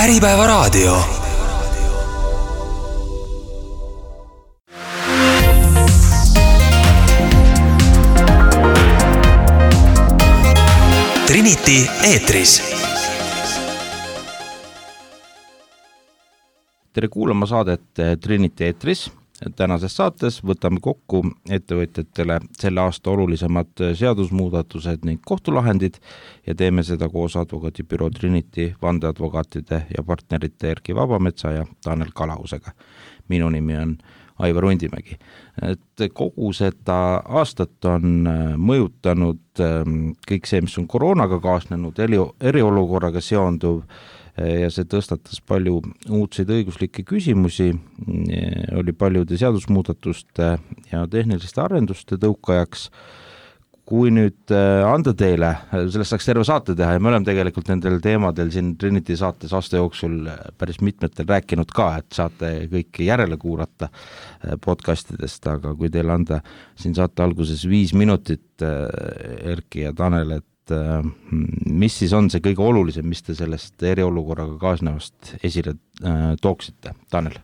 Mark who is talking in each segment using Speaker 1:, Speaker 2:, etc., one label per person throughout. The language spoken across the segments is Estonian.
Speaker 1: Äripäevaraadio. Trinity eetris.
Speaker 2: Tere kuulama saadet Trinity eetris. Tänases saates võtame kokku ettevõtjatele selle aasta olulisemad seadusmuudatused ning kohtulahendid ja teeme seda koos advokaadibüroo Trinity vandeadvokaatide ja partnerite Erki Vabametsa ja Tanel Kalahusega. Minu nimi on Aivar Undimägi. Kogu seda aastat on mõjutanud kõik see, mis on koroonaga kaasnenud, eriolukorraga seonduv ja see tõstatas palju uudseid õiguslikke küsimusi, oli paljude seadusmuudatuste ja tehniliste arenduste tõukajaks. Kui nüüd anda teile, sellest saaks terve saate teha ja me oleme tegelikult nendel teemadel siin Trinity saates aasta jooksul päris mitmetel rääkinud ka, et saate kõike järele kuulata podcastidest, aga kui teile anda siin saate alguses 5 minutit, Erki ja Tanel, et mis siis on see kõige olulisem, mis te sellest eriolukorraga kaasnevast esile tooksite? Tanel?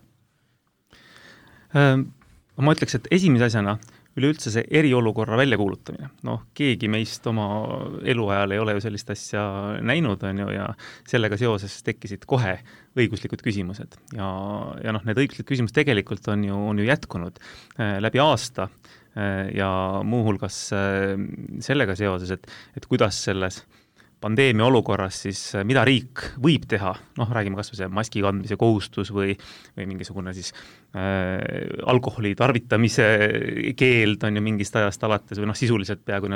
Speaker 3: Ma ütleks, et esimese asjana üleüldse see eriolukorra väljakuulutamine. Keegi meist oma eluajal ei ole ju sellist asja näinud, ja sellega seoses tekkisid kohe õiguslikud küsimused. Ja need õiguslikud küsimused tegelikult on ju jätkunud läbi aasta ja muuhulgas sellega seoses, et kuidas selles pandeemia olukorras siis, mida riik võib teha, räägime kas või see maski kandmise kohustus või mingisugune siis alkoholi tarvitamise keeld on ju mingist ajast alates või sisuliselt peaaegu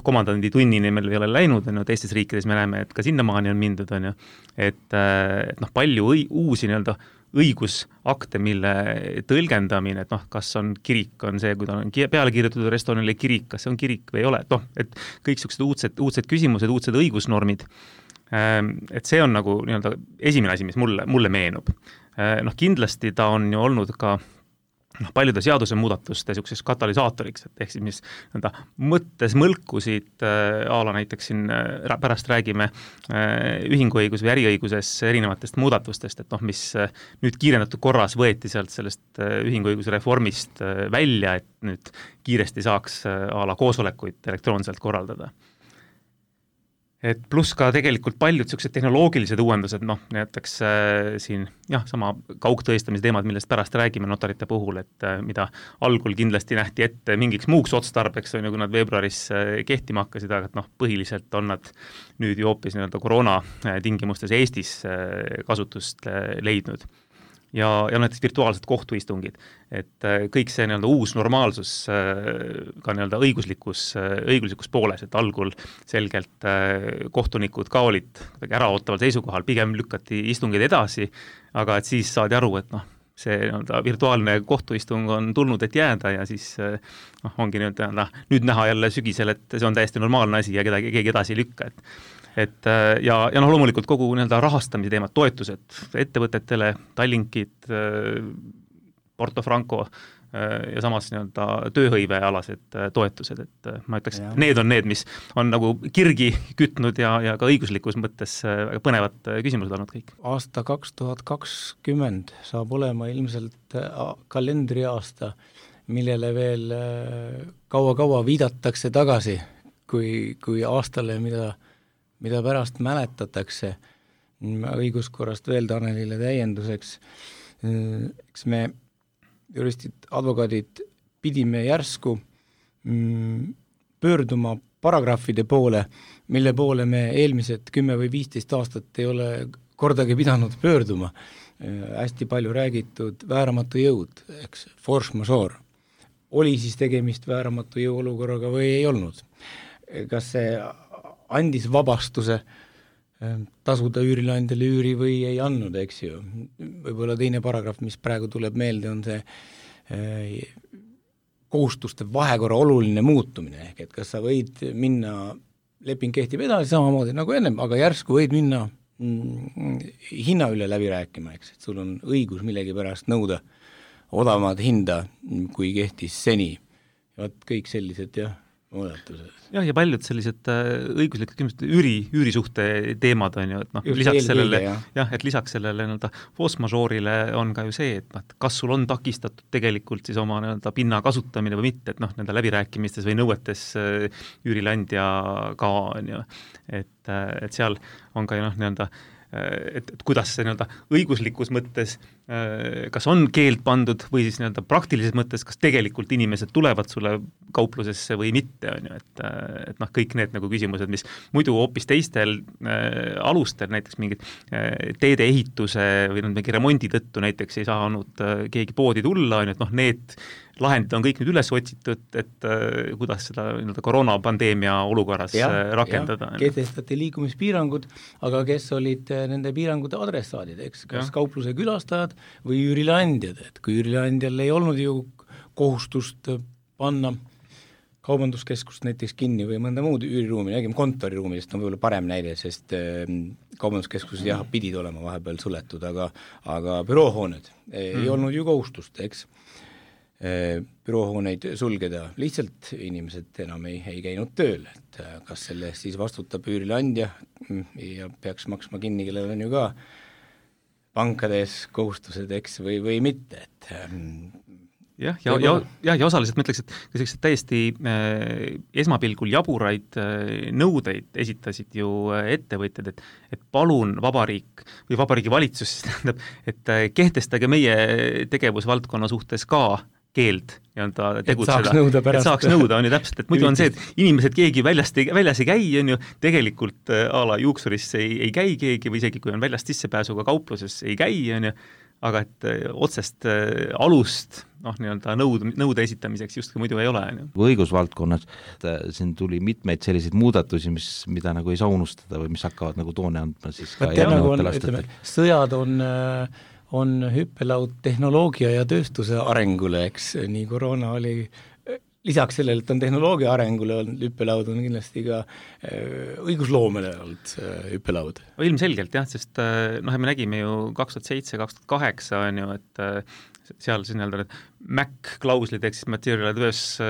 Speaker 3: komandandi tunnini meil ei ole läinud, teistes riikides me näeme, et ka sinnamaani on mindud, et palju uusi õigusakte, mille tõlgendamine, et kas on kirik, on see, kui ta on peale kirjutatud restoranile kirik, kas see on kirik või ei ole, et kõik sellised uudsed küsimused, uudsed õigusnormid, et see on nagu esimene asi, mis mulle meenub. Kindlasti ta on ju olnud ka paljude seaduse muudatuste selliseks katalüsaatoriks, et ehk siis mis mõttes mõlkusid ala näiteks siin pärast räägime ühinguõigus või äriõiguses erinevatest muudatustest, et mis nüüd kiirendatud korras võeti sealt sellest ühinguõiguse reformist välja, et nüüd kiiresti saaks ala koosolekuid elektroonselt korraldada. Et pluss ka tegelikult paljud sellised tehnoloogilised uuendused, näiteks siin sama kaugtõestamise teemad, millest pärast räägime notarite puhul, et mida algul kindlasti nähti ette mingiks muuks otstarbeks, kui nad veebruaris kehtima hakkasid, aga põhiliselt on nad nüüd ju hoopis koroona tingimustes Eestis kasutust leidnud. Ja näiteks virtuaalsed kohtuistungid, et kõik see uus normaalsus ka õiguslikus pooles, et algul selgelt kohtunikud ka olid äraootaval seisukohal, pigem lükati istungid edasi, aga et siis saadi aru, et see virtuaalne kohtuistung on tulnud, et jääda ja siis ongi nüüd näha jälle sügisel, et see on täiesti normaalne asi ja keegi edasi ei lükka, ja loomulikult kogu rahastamise teemad, toetused ettevõtetele, Tallinkid, Porto Franco ja samas tööhõivealased toetused, et ma ütleks, et need on need, mis on kirgi kütnud ja ka õiguslikus mõttes väga põnevad küsimused olnud kõik.
Speaker 4: Aasta 2020 saab olema ilmselt kalendriaasta, millele veel kaua viidatakse tagasi, kui aastale, mida pärast mäletatakse. Õiguskorrast veel Tanelile täienduseks. Eks me juristid, advokaadid pidime järsku pöörduma paragrahvide poole, mille poole me eelmised 10 või 15 aastat ei ole kordagi pidanud pöörduma. Hästi palju räägitud vääramatu jõud, eks, force majeure. Oli siis tegemist vääramatu jõu olukorraga või ei olnud? Kas see andis vabastuse tasuda üürileandjale üüri või ei andnud, eks ju. Võib-olla teine paragrahv, mis praegu tuleb meelde, on see kohustuste vahekorra oluline muutumine, ehk et kas sa võid minna, leping kehtib edasi samamoodi nagu ennem, aga järsku võid minna hinna üle läbi rääkima, eks, et sul on õigus millegi pärast nõuda odavamat hinda, kui kehtis seni. Ja kõik sellised muudatuses.
Speaker 3: Jah, ja paljud sellised õiguslikud küsimused, üürisuhte teemad on ju, et noh, lisaks sellele, et lisaks sellele nii-öelda force majeure'ile on ka ju see, et kas sul on takistatud tegelikult siis oma nii-öelda pinna kasutamine või mitte, et noh, nende läbirääkimistes või nõuetes üürileandjaga on ju, et seal on ka ju noh, nii-öelda et kuidas see nii-öelda õiguslikus mõttes kas on keeld pandud või siis nii-öelda praktilises mõttes, kas tegelikult inimesed tulevad sulle kauplusesse või mitte, on ju, et noh, kõik need nagu küsimused, mis muidu hoopis teistel alustel, näiteks mingid teede ehituse või mingi remondi tõttu näiteks ei saanud keegi poodi tulla, on ju, et noh, need lahendid on kõik nüüd üles otsitud, et kuidas seda nii-öelda koroonapandeemia olukorras rakendada.
Speaker 4: Kehtestati liikumispiirangud, aga kes olid nende piirangute adressaadid, eks, kas kaupluse külastajad või üürileandjad, et kui üürileandjal ei olnud ju kohustust panna kaubanduskeskust näiteks kinni või mõnda muud üüriruumi, nägime kontoriruumidest on võib-olla parem näide, sest kaubanduskeskused pidid olema vahepeal suletud, aga büroohooned ei olnud ju kohustust, eks, büroohooneid sulgeda, lihtsalt inimesed enam ei käinud tööl, et kas selle eest siis vastutab üürileandja ja peaks maksma kinni, kellel on ju ka pankades kohustused, eks, või mitte, et
Speaker 3: ja osaliselt ma ütleks, et sellised täiesti esmapilgul jaburaid nõudeid esitasid ju ettevõtjad, et palun vabariik või vabariigi valitsus tähendab, et kehtestage meie tegevusvaldkonna suhtes ka keeld nii-öelda tegutseda, et saaks nõuda, on ju täpselt, et muidu on see, et inimesed keegi väljas ei käi, on ju, tegelikult a la juuksurisse ei käi keegi või isegi kui on väljast sissepääsuga kaupluses ei käi, on ju, aga et otsest alust noh, nii-öelda nõude esitamiseks justkui muidu ei ole.
Speaker 2: Õigusvaldkonnas siin tuli mitmeid selliseid muudatusi, mida nagu ei saa unustada või mis hakkavad nagu toone andma siis ka järgnevatel aastatel.
Speaker 4: Sõjad on hüppelaud tehnoloogia ja tööstuse arengule, eks, nii koroona oli, lisaks sellele, et on tehnoloogia arengule olnud hüppelaud, on kindlasti ka õigusloomele olnud hüppelaud.
Speaker 3: Ilmselgelt jah, sest noh, me nägime ju 2007-2008 on ju, et seal siis nii-öelda need MAC-klauslid, ehk siis material adverse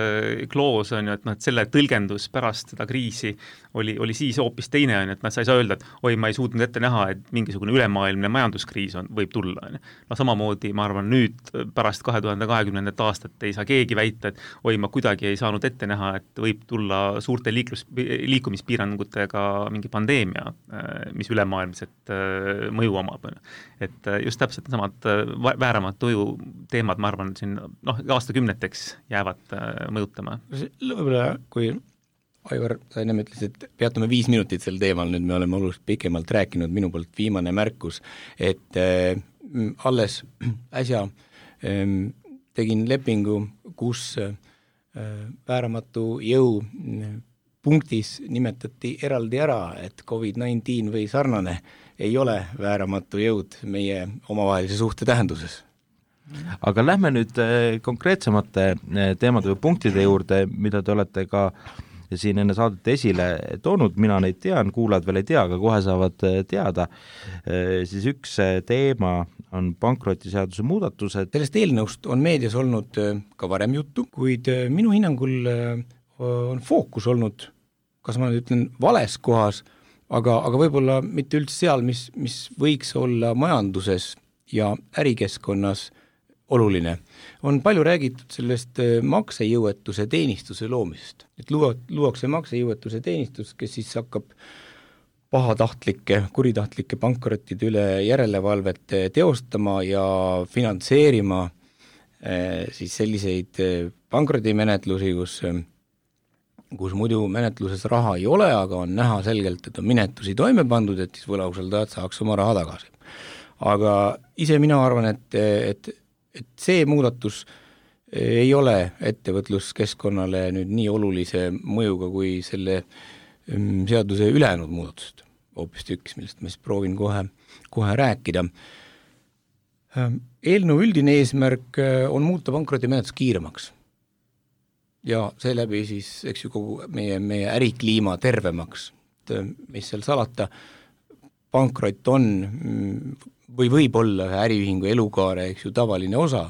Speaker 3: clause on ju, et noh, et selle tõlgendus pärast seda kriisi oli siis hoopis teine, on ju, et sa ei saa öelda, et oi, ma ei suutnud ette näha, et mingisugune ülemaailmne majanduskriis võib tulla, on ju. No samamoodi, ma arvan, nüüd pärast 2020. aastat ei saa keegi väita, et oi, ma kuidagi ei saanud ette näha, et võib tulla suurte liikumispiirangutega mingi pandeemia, mis ülemaailmset mõju omab. Et just täpselt samad vääramad tuju teemad, ma arvan, siin aastakümneteks jäävad mõjutama.
Speaker 4: Võib-olla, kui Aivar, sa ennem ütlesid, et peatume 5 minutit sel teemal, nüüd me oleme oluliselt pikemalt rääkinud, minu poolt viimane märkus, et alles äsja tegin lepingu, kus vääramatu jõu punktis nimetati eraldi ära, et COVID-19 või sarnane ei ole vääramatu jõud meie omavahelise suhte tähenduses.
Speaker 2: Aga lähme nüüd konkreetsemate teemade või punktide juurde, mida te olete ka siin enne saadet esile toonud, mina neid tean, kuulajad veel ei tea, aga kohe saavad teada. Siis üks teema on pankrotiseaduse muudatused.
Speaker 4: Sellest eelnõust on meedias olnud ka varem juttu, kuid minu hinnangul on fookus olnud, kas ma nüüd ütlen, vales kohas, aga võib-olla mitte üldse seal, mis võiks olla majanduses ja ärikeskkonnas oluline. On palju räägitud sellest maksejõuetuse teenistuse loomisest. Et luuakse maksejõuetuse teenistus, kes siis hakkab kuritahtlike pankrottide üle järelevalvet teostama ja finantseerima siis selliseid pankrotimenetlusi, kus muidu menetluses raha ei ole, aga on näha selgelt, et on minetusi toime pandud, et siis võlausaldajad saaks oma raha tagasi. Aga ise mina arvan, et see muudatus ei ole ettevõtluskeskkonnale nüüd nii olulise mõjuga kui selle seaduse ülejäänud muudatused, hoopis tükkis, millest ma siis proovin kohe rääkida. Eelnõu üldine eesmärk on muuta pankrotimenetlus kiiremaks ja seeläbi siis, eks ju, kogu meie ärikliima tervemaks, mis seal salata, pankrot on või võib olla ühe äriühingu elukaare, eks ju, tavaline osa,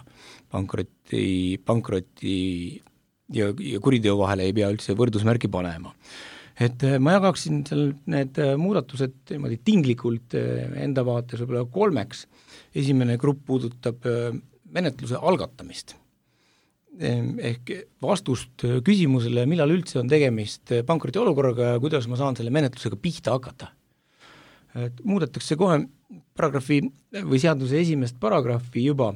Speaker 4: pankroti ja kuriteo vahele ei pea üldse võrdusmärki panema. Et ma jagaksin seal need muudatused niimoodi tinglikult enda vaates võib-olla 3. Esimene grupp puudutab menetluse algatamist. Ehk vastust küsimusele, millal üldse on tegemist pankroti olukorraga ja kuidas ma saan selle menetlusega pihta hakata. Muudetakse kohe paragrahvi või seaduse esimest paragrahvi juba,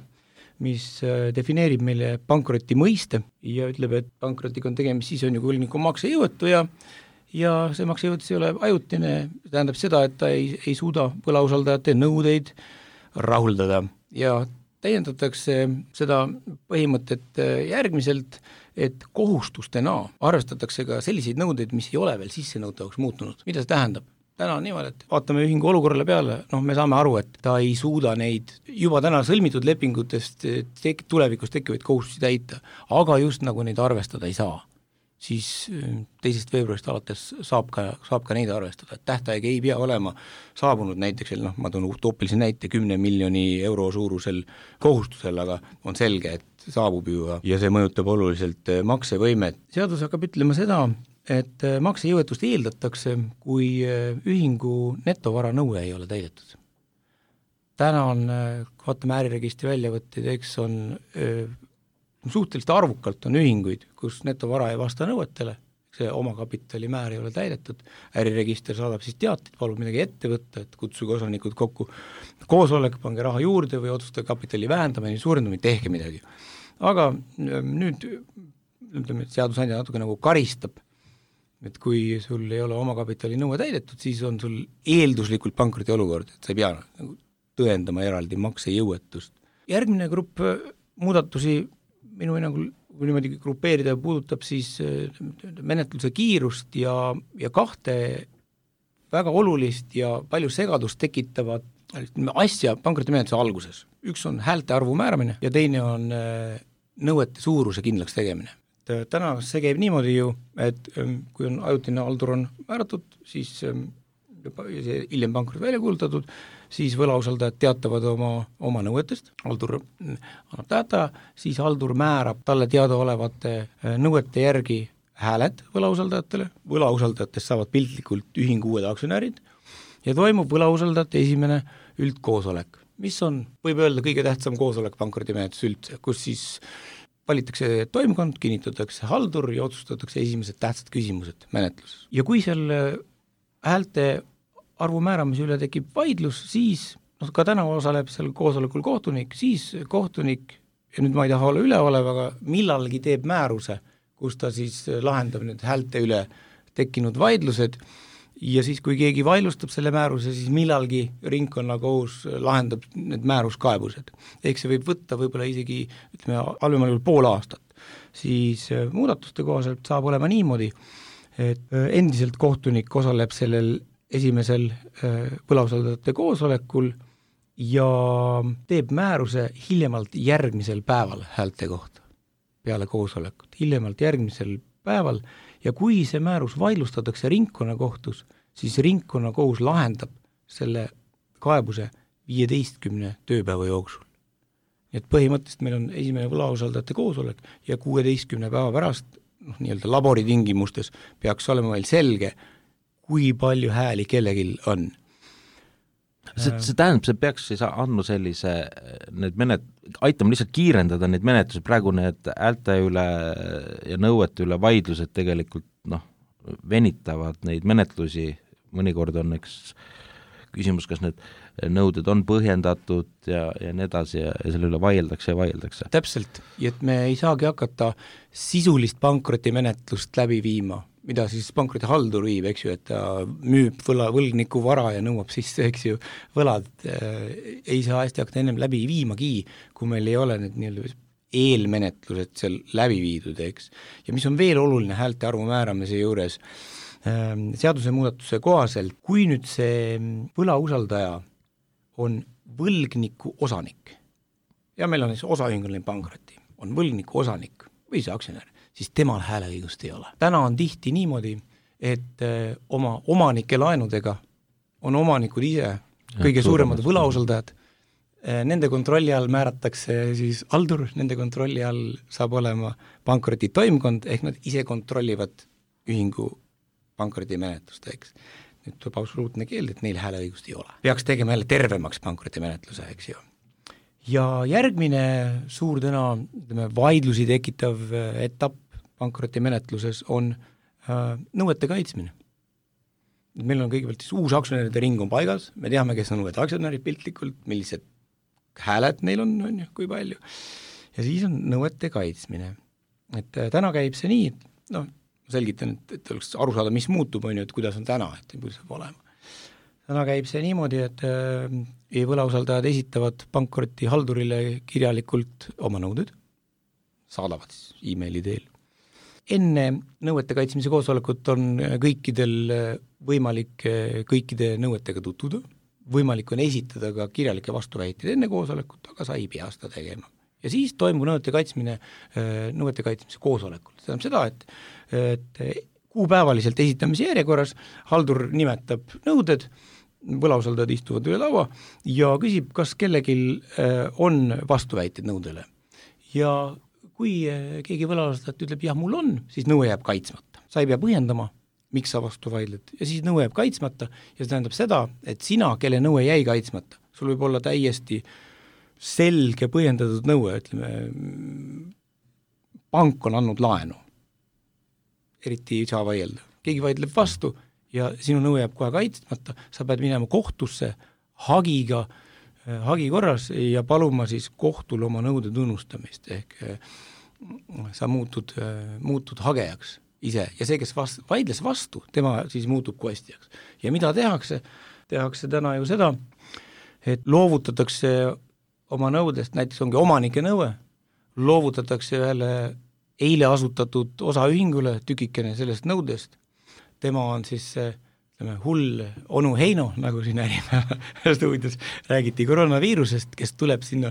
Speaker 4: mis defineerib meile pankroti mõiste ja ütleb, et pankrotiga on tegemist, siis on ju võlgniku maksejõuetu ja see maksejõuetus ei ole ajutine, tähendab seda, et ta ei suuda võlausaldajate nõudeid rahuldada ja täiendatakse seda põhimõtet järgmiselt, et kohustustena arvestatakse ka selliseid nõudeid, mis ei ole veel sissenõutavaks muutunud. Mida see tähendab? Täna on niimoodi, et vaatame ühingu olukorrale peale, me saame aru, et ta ei suuda neid juba täna sõlmitud lepingutest tulevikus tekkivaid kohustusi täita, aga just nagu neid arvestada ei saa. Siis 2. veebruarist alates saab ka neid arvestada, et tähtaeg ei pea olema saabunud näiteks, ma toon utoopilise näite 10 miljoni euro suurusel kohustusel, aga on selge, et saabub ju ja see mõjutab oluliselt maksevõimet. Seadus hakkab ütlema seda, et maksejõuetust eeldatakse, kui ühingu netovara nõue ei ole täidetud. Täna on, vaatame äriregistri väljavõtteid, eks on suhteliselt arvukalt on ühinguid, kus netovara ei vasta nõuetele, see omakapitali määr ei ole täidetud, äriregister saadab siis teateid, palub midagi ette võtta, et kutsuge osanikud kokku koosolek, pange raha juurde või otsustage kapitali vähendamine, suurendamine, tehke midagi. Aga nüüd ütleme, et seadusandja natuke nagu karistab, et kui sul ei ole omakapitali nõue täidetud, siis on sul eelduslikult pankroti olukord, et sa ei pea nagu tõendama eraldi maksejõuetust. Järgmine grupp muudatusi minu hinnangul, kui niimoodi grupeerida, puudutab siis menetluse kiirust ja 2 väga olulist ja palju segadust tekitavat asja pankrotimenetluse alguses. Üks on häälte arvu määramine ja teine on nõuete suuruse kindlaks tegemine. Täna see käib niimoodi ju, et kui on ajutine haldur on määratud, siis hiljem pankrot välja kuulutatud, siis võlausaldajad teatavad oma nõuetest, haldur annab tähtaja, siis haldur määrab talle teadaolevate nõuete järgi hääled võlausaldajatele, võlausaldajatest saavad piltlikult ühingu uued aktsionärid ja toimub võlausaldajate esimene üldkoosolek, mis on, võib öelda, kõige tähtsam koosolek pankrotimenetlus üldse, kus siis valitakse toimkond, kinnitatakse haldur ja otsustatakse esimesed tähtsad küsimused menetluses. Ja kui seal häälte arvu määramise üle tekib vaidlus, siis ka täna osaleb seal koosolekul kohtunik, siis kohtunik, ja nüüd ma ei taha olla üleolev, aga millalgi teeb määruse, kus ta siis lahendab need häälte üle tekkinud vaidlused ja siis, kui keegi vaidlustab selle määruse, siis millalgi ringkonnakohus lahendab need määruskaebused. Ehk see võib võtta võib-olla isegi, halvemal juhul pool aastat. Siis muudatuste kohaselt saab olema niimoodi, et endiselt kohtunik osaleb sellel esimesel võlausaldajate koosolekul ja teeb määruse hiljemalt järgmisel päeval häälte kohta, peale koosolekut, hiljemalt järgmisel päeval ja kui see määrus vaidlustatakse ringkonnakohtus, siis ringkonnakohus lahendab selle kaebuse 15 tööpäeva jooksul. Nii et põhimõtteliselt meil on esimene võlausaldajate koosolek ja 16 päeva pärast nii-öelda laboritingimustes peaks olema meil selge, kui palju hääli kellegil on.
Speaker 2: See tähendab, see peaks siis andma sellise, aitama lihtsalt kiirendada neid menetlusi, praegu need häälte üle ja nõuete üle vaidlused tegelikult venitavad neid menetlusi, mõnikord on küsimus, kas need nõuded on põhjendatud ja nii edasi ja selle üle vaieldakse.
Speaker 4: Täpselt, et me ei saagi hakata sisulist pankrotimenetlust läbi viima, mida siis pankrotihaldur viib, eks ju, et ta müüb võlgniku vara ja nõuab siis, eks ju, võlad ei saa hästi hakata ennem läbi viimagi, kui meil ei ole need nii-öelda eelmenetlused seal läbi viidud, eks. Ja mis on veel oluline häälte arvu määramise juures, seaduse muudatuse kohaselt, kui nüüd see võlausaldaja on võlgniku osanik ja meil on siis osaühinguline pankroti, on võlgniku osanik või see aktsionär, siis temal hääleõigust ei ole. Täna on tihti niimoodi, et oma omanike laenudega on omanikud ise kõige suuremad võlausaldajad nende kontrolli all määratakse siis haldur, nende kontrolli all saab olema pankroti toimkond, ehk nad ise kontrollivad ühingu pankrotimenetlust, eks. Nüüd tuleb absoluutne keeld, et neil hääleõigust ei ole. Peaks tegema jälle tervemaks pankrotimenetluse, eks ju. Ja järgmine suur vaidlusi tekitav etapp pankrotimenetluses on nõuete kaitsmine. Meil on kõigepealt siis uus aktsionäride ring on paigas, me teame, kes on uued aktsionärid piltlikult, millised hääled neil on ju, kui palju, ja siis on nõuete kaitsmine. Et täna käib see nii, et selgitan, et oleks aru saada, mis muutub, on ju, et kuidas on täna, et kuidas saab olema. Täna käib see niimoodi, et võlausaldajad esitavad pankroti haldurile kirjalikult oma nõuded, saadavad siis e-maili teel. Enne nõuete kaitsmise koosolekut on kõikidel võimalik kõikide nõuetega tutvuda, võimalik on esitada ka kirjalikke vastuväiteid enne koosolekut, aga sa ei pea seda tegema. Ja siis toimub nõuete kaitsmise koosolekul. See tähendab seda, et kuupäevaliselt esitamise järjekorras haldur nimetab nõuded, võlausaldajad istuvad üle laua ja küsib, kas kellelgi on vastuväiteid nõudele. Ja kui keegi võlausaldajat ütleb, jah, mul on, siis nõue jääb kaitsmata. Sa ei pea põhjendama, miks sa vastu vaidled, ja siis nõue jääb kaitsmata ja see tähendab seda, et sina, kelle nõue jäi kaitsmata, sul võib olla täiesti selge põhjendatud nõue, ütleme, pank on andnud laenu, eriti ei saa vaielda. Keegi vaidleb vastu ja sinu nõue jääb kohe kaitsmata, sa pead minema kohtusse hagi korras ja paluma siis kohtul oma nõude tunnustamist, ehk sa muutud hagejaks ise ja see, kes vaidles vastu, tema siis muutub kostjaks. Ja mida tehakse? Tehakse täna ju seda, et loovutatakse oma nõudest, näiteks ongi omanike nõue, loovutatakse ühele eile asutatud osaühingule tükikene sellest nõudest. Tema on siis hull onu Heino, nagu siin stuudios räägiti koroonaviirusest, kes tuleb sinna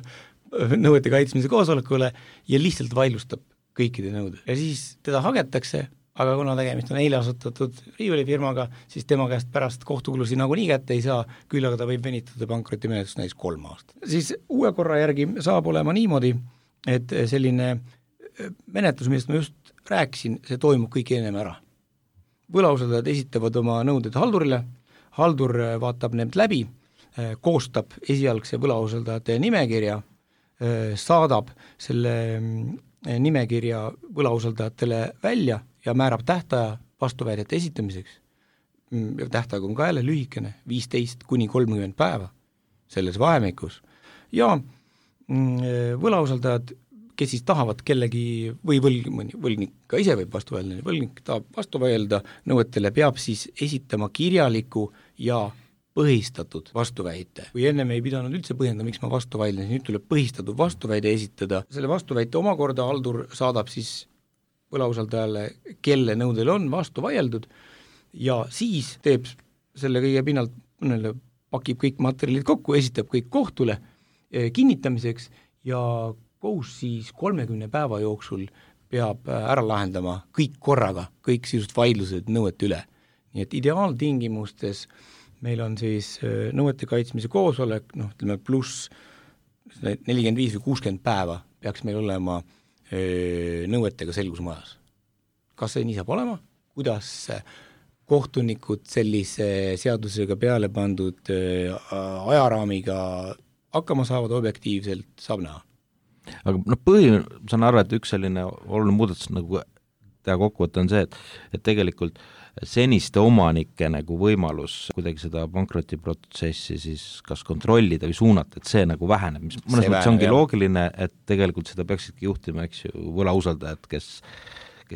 Speaker 4: nõuete kaitsmise koosolekule ja lihtsalt vaidlustab kõikide nõude. Ja siis teda hagetakse, aga kuna tegemist on eile asutatud riiulifirmaga, siis tema käest pärast kohtukulusi nagunii kätte ei saa, küll aga ta võib venitada pankrotimenetlust näiteks 3 aastat. Siis uue korra järgi saab olema niimoodi, et selline menetlus, millest ma just rääkisin, see toimub kõik ennem ära. Võlausaldajad esitavad oma nõuded haldurile, haldur vaatab need läbi, koostab esialgse võlausaldajate nimekirja, saadab selle nimekirja võlausaldajatele välja ja määrab tähtaja vastuväidete esitamiseks. Tähtaeg on ka jälle lühikene, 15 kuni 30 päeva selles vahemikus. Ja võlausaldajad, kes siis tahavad kellegi või võlgnik ka ise võib vastu vaielda, võlgnik tahab vastu vaielda nõuetele, peab siis esitama kirjaliku ja põhistatud vastuväite. Kui enne me ei pidanud üldse põhjendama, miks ma vastu vaidlen, siis nüüd tuleb põhistatud vastuväide esitada. Selle vastuväite omakorda haldur saadab siis võlausaldajale, kelle nõudel on vastu vaieldud ja siis teeb selle kõige pinnalt, pakib kõik materjalid kokku, esitab kõik kohtule kinnitamiseks ja kohus siis 30 päeva jooksul peab ära lahendama kõik korraga, kõik sisust vaidlused nõuete üle. Nii et ideaaltingimustes meil on siis nõuete kaitsmise koosolek, pluss 45 või 60 päeva peaks meil olema nõuetega selgusmajas. Kas see nii saab olema? Kuidas kohtunikud sellise seadusega peale pandud ajaraamiga hakkama saavad objektiivselt, saab näha?
Speaker 2: Aga saan arva, et üks selline oluline muudatus nagu teha kokkuvõte on see, et tegelikult seniste omanike nagu võimalus kuidagi seda pankrotiprotsessi siis kas kontrollida või suunata, et see nagu väheneb, mis mõnes mõttes ongi loogiline, et tegelikult seda peaksidki juhtima, eks ju, võlausaldajad, kes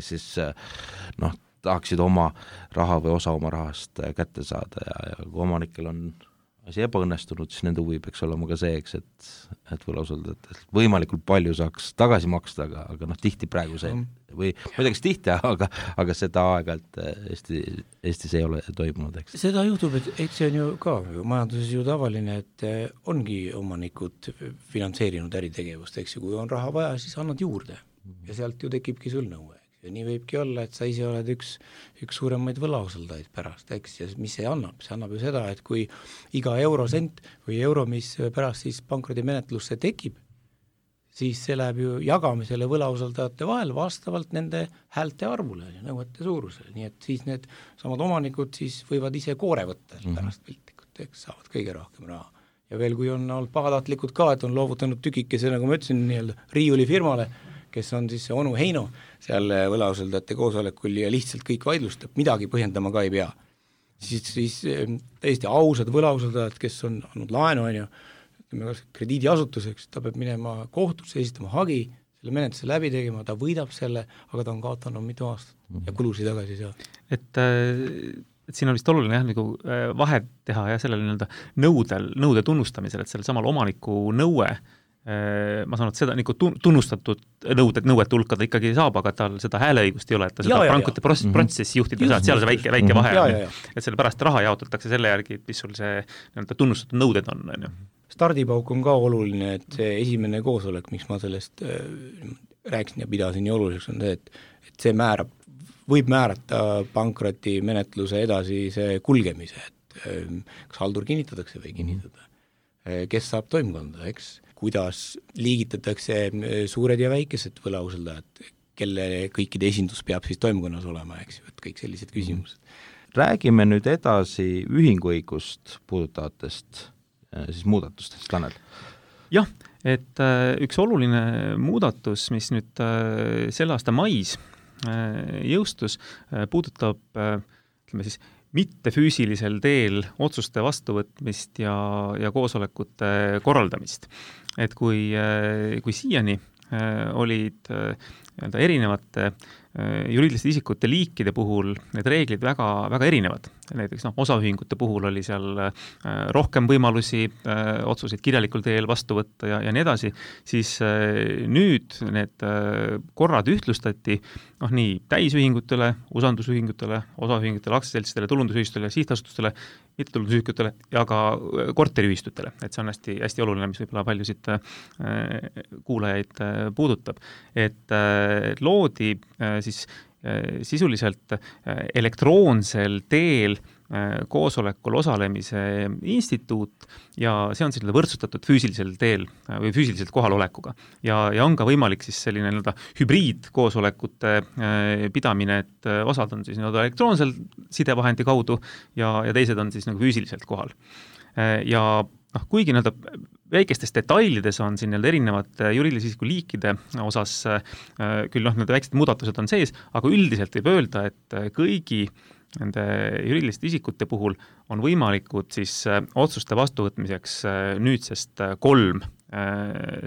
Speaker 2: siis tahaksid oma raha või osa oma rahast kätte saada ja kui omanikel on asi ebaõnnestunud, siis nende huvi peaks olema ka see, eks, et võlausaldajad võimalikult palju saaks tagasi maksta, aga tihti praegu see või ma ei tea, kas tihti, aga seda aeg-ajalt Eestis ei ole toimunud, eks.
Speaker 4: Seda juhtub, et see on ju ka majanduses ju tavaline, et ongi omanikud finantseerinud äritegevust, eks ju, kui on raha vaja, siis annad juurde ja sealt ju tekibki sul nõue. ja nii võibki olla, et sa ise oled üks suuremaid võlausaldajaid pärast, eks, ja mis see annab? See annab ju seda, et kui iga eurosent või euro, mis pärast siis pankrotimenetlusse tekib, siis see läheb ju jagamisele võlausaldajate vahel vastavalt nende häälte arvule ja nõuete suurusele, nii et siis need samad omanikud siis võivad ise koore võtta pärast piltlikult, eks, saavad kõige rohkem raha. Ja veel, kui on olnud pahatahtlikud ka, et on loovutanud tükikese, nagu ma ütlesin, nii-öelda riiuli firmale, kes on siis see onu Heino seal võlausaldajate koosolekul ja lihtsalt kõik vaidlustab, midagi põhjendama ka ei pea. Siis täiesti ausad võlausaldajad, kes on andnud laenu, krediidiasutuseks, ta peab minema kohtusse, esitama hagi, selle menetluse läbi tegema, ta võidab selle, aga ta on kaotanud mitu aastat ja kulusid tagasi ei saa.
Speaker 3: Et siin on vist oluline jah, nagu vahet teha ja sellele nõude tunnustamisel, et sellel samal omaniku nõue, ma saan, et seda nagu tunnustatud nõuet hulka ta ikkagi saab, aga tal seda hääleõigust ei ole, et ta seda pankrotti protsessi juhtida ei saa, et seal see väike vahe on, et selle pärast raha jaotatakse selle järgi, mis sul see tunnustatud nõuded on ju.
Speaker 4: Stardipauk on ka oluline, et see esimene koosolek, miks ma sellest rääkisin ja pidasin nii oluliseks, on see, et see võib määrata pankroti menetluse edasise kulgemise, et kas haldur kinnitatakse või kinnitada, kes saab toimkonda, eks, kuidas liigitatakse suured ja väikesed võlausaldajad, kelle kõikide esindus peab siis toimkonnas olema, eks ju, et kõik sellised küsimused.
Speaker 2: Räägime nüüd edasi ühinguõigust puudutavatest siis muudatustest, Tanel.
Speaker 3: Jah, et üks oluline muudatus, mis nüüd selle aasta mais jõustus, puudutab ütleme siis mittefüüsilisel teel otsuste vastuvõtmist ja koosolekute korraldamist. Et kui siiani olid erinevate juriidiliste isikute liikide puhul need reeglid väga, väga erinevad. Näiteks osaühingute puhul oli seal rohkem võimalusi otsuseid kirjalikul teel vastu võtta ja nii edasi, siis nüüd need korrad ühtlustati nii täisühingutele, usaldusühingutele, osaühingutele, aktsiaseltsidele, tulundusühistutele, sihtasutustele, mittetulundusühingutele ja ka korteriühistutele. Et see on hästi, hästi oluline, mis võib-olla paljusid kuulajaid puudutab. Et loodi siis sisuliselt elektroonsel teel koosolekul osalemise instituut ja see on selline võrdsustatud füüsilisel teel või füüsiliselt kohalolekuga. Ja on ka võimalik siis selline hübriidkoosolekute pidamine, et osad on siis elektroonsel sidevahendi kaudu ja teised on siis füüsiliselt kohal. Ja kuigi väikestes detailides on siin erinevate juriidilise isiku liikide osas küll väiksed muudatused on sees, aga üldiselt võib öelda, et kõigi nende juriidiliste isikute puhul on võimalikud siis otsuste vastuvõtmiseks nüüdsest 3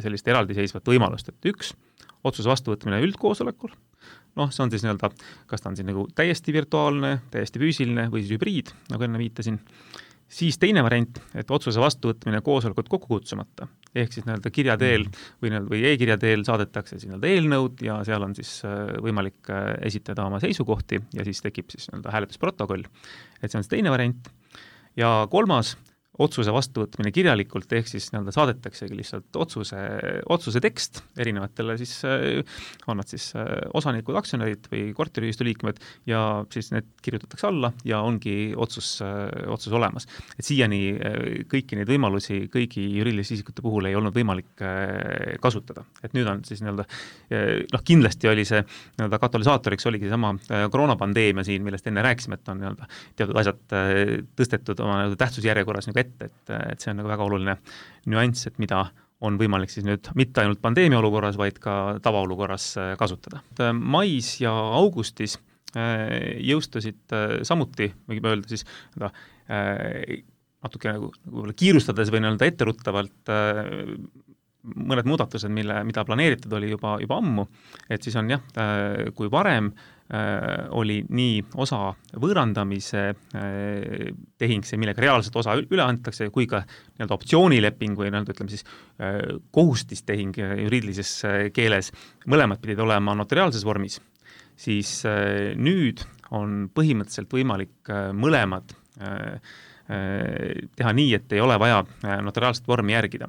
Speaker 3: sellist eraldiseisvat võimalust, et 1 otsuse vastuvõtmine üldkoosolekul, see on siis kas ta on siin täiesti virtuaalne, täiesti füüsiline või siis hübriid, nagu enne viitasin. Siis teine variant, et otsuse vastuvõtmine koosolekut kokku kutsumata, ehk siis kirja teel või e-kirja teel saadetakse siis eelnõud ja seal on siis võimalik esitada oma seisukohti ja siis tekib siis hääletusprotokoll. Et see on see teine variant. Ja 3. otsuse vastuvõtmine kirjalikult, ehk siis saadetaksegi lihtsalt otsuse tekst erinevatele siis, on nad siis osanikud, aktsionärid või korteriühistu liikmed ja siis need kirjutatakse alla ja ongi otsus olemas. Et siiani kõiki neid võimalusi kõigi juriidiliste isikute puhul ei olnud võimalik kasutada. Et nüüd on siis kindlasti oli see katalüsaatoriks oligi sama koroonapandeemia siin, millest enne rääkisime, et on teatud asjad tõstetud oma tähtsusjärjekorras et see on väga oluline nüanss, et mida on võimalik siis nüüd mitte ainult pandeemia olukorras, vaid ka tavaolukorras kasutada. Mais ja augustis jõustusid samuti, võime öelda siis natuke kiirustades või etteruttavalt mõned muudatused, mida planeeritud oli juba ammu, et siis on kui varem oli nii osa võõrandamise tehing, see millega reaalselt osa üle antakse, kui ka optsioonileping või ütleme siis kohustistehing juriidilises keeles, mõlemad pidid olema notariaalses vormis, siis nüüd on põhimõtteliselt võimalik mõlemad teha nii, et ei ole vaja notariaalset vormi järgida.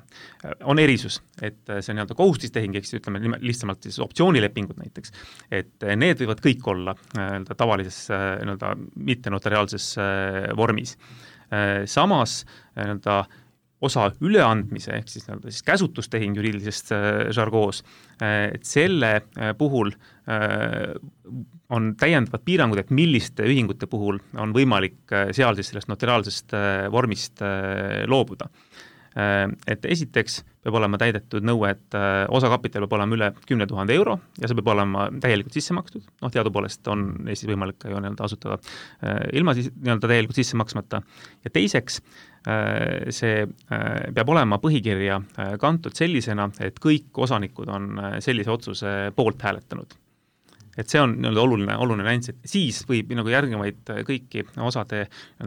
Speaker 3: On erisus, et see nii-öelda kohustistehing, eks ütleme lihtsamalt siis optsioonilepingud näiteks, et need võivad kõik olla tavalises nii-öelda mittenotariaalses vormis. Samas nii-öelda osa üleandmise, ehk siis, siis käsutustehing juriidilisest žargoos, et selle puhul on täiendavad piirangud, et milliste ühingute puhul on võimalik seal siis sellest notariaalsest vormist loobuda. Et esiteks peab olema täidetud nõue, et osakapital peab olema üle 10 000 euro ja see peab olema täielikult sisse makstud. Teadupoolest on Eestis võimalik ka ju asutada ilma täielikult sisse maksmata. Ja teiseks, see peab olema põhikirja kantud sellisena, et kõik osanikud on sellise otsuse poolt hääletanud. Et see on oluline nüanss, et siis võib järgnevaid kõiki osade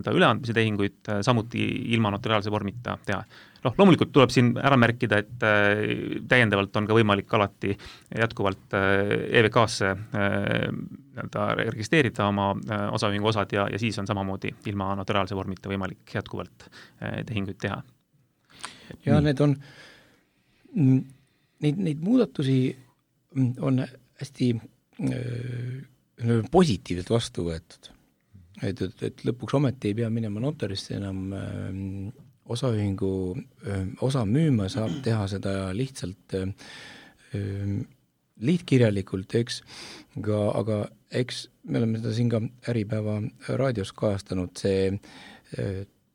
Speaker 3: üleandmise tehinguid samuti ilma notariaalse vormita teha. Loomulikult tuleb siin ära märkida, et täiendavalt on ka võimalik alati jätkuvalt EVK-sse registreerida oma osaühingu osad ja siis on samamoodi ilma notariaalse vormita võimalik jätkuvalt tehinguid teha.
Speaker 4: Ja need on, neid muudatusi on hästi positiivselt vastu võetud. Et lõpuks ometi ei pea minema notarisse enam osaühingu osa müüma, saab teha seda lihtsalt liitkirjalikult, eks, aga eks me oleme seda siin ka Äripäeva raadios kajastanud, see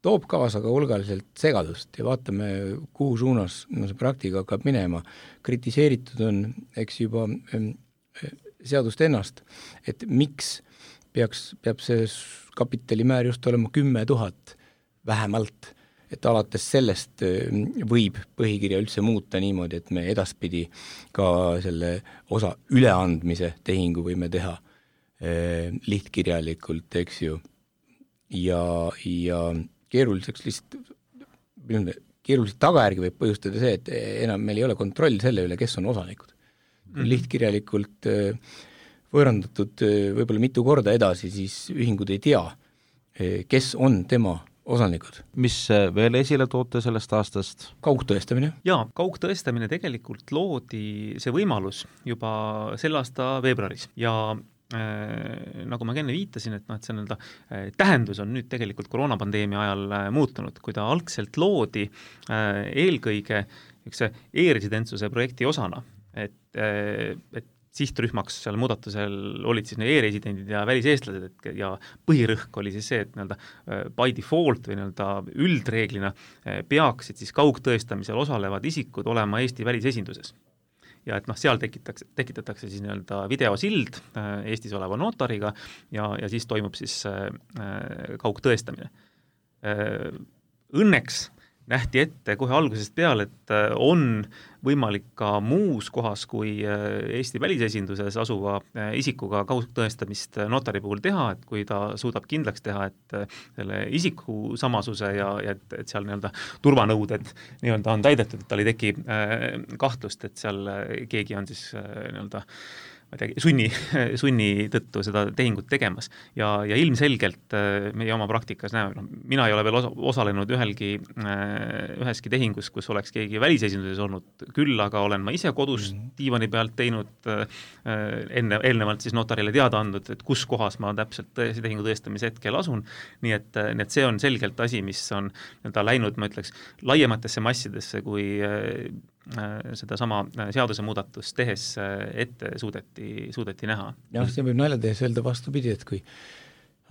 Speaker 4: toob kaasa ka hulgaliselt segadust ja vaatame, kuhu suunas see praktika hakkab minema. Kritiseeritud on, eks juba seadust ennast, et miks peab see kapitalimäär just olema 10 000 vähemalt, et alates sellest võib põhikirja üldse muuta niimoodi, et me edaspidi ka selle osa üleandmise tehingu võime teha lihtkirjalikult, eks ju, ja keeruliseks keeruliselt tagajärgi võib põhjustada see, et enam meil ei ole kontroll selle üle, kes on osanikud. Lihtkirjalikult võõrandatud võib-olla mitu korda edasi, siis ühingud ei tea, kes on tema osanikud.
Speaker 2: Mis veel esile toote sellest aastast?
Speaker 4: Kaugtõestamine?
Speaker 3: Jaa, kaugtõestamine tegelikult loodi see võimalus juba selle aasta veebruaris ja nagu ma enne viitasin, et see tähendus on nüüd tegelikult koroonapandeemia ajal muutunud, kui ta algselt loodi eelkõige e-residentsuse projekti osana, et sihtrühmaks seal muudatusel olid siis e-residendid ja väliseestlased ja põhirõhk oli siis see, et by default või üldreeglina peaksid siis kaugtõestamisel osalevad isikud olema Eesti välisesinduses. Ja et seal tekitatakse siis videosild Eestis oleva notariga ja siis toimub siis kaugtõestamine. Õnneks nähti ette kohe algusest peale, et on võimalik ka muus kohas kui Eesti välisesinduses asuva isikuga kaugtõestamist notari puhul teha, et kui ta suudab kindlaks teha, et selle isiku samasuse ja et seal turvanõuded on täidetud, et tal ei teki kahtlust, et seal keegi on siis sunni tõttu seda tehingut tegemas. Ja ilmselgelt meie oma praktikas näeme, mina ei ole veel osalenud üheski tehingus, kus oleks keegi välisesinduses olnud, küll aga olen ma ise kodus diivani pealt teinud eelnevalt siis notarile teada andnud, et kus kohas ma täpselt tehingu tõestamise hetkel asun, nii et see on selgelt asi, mis on läinud, ma ütleks, laiematesse massidesse, kui seda sama seaduse muudatust tehes ette suudeti näha.
Speaker 4: Jah, see võib nalja tehes öelda vastupidi, et kui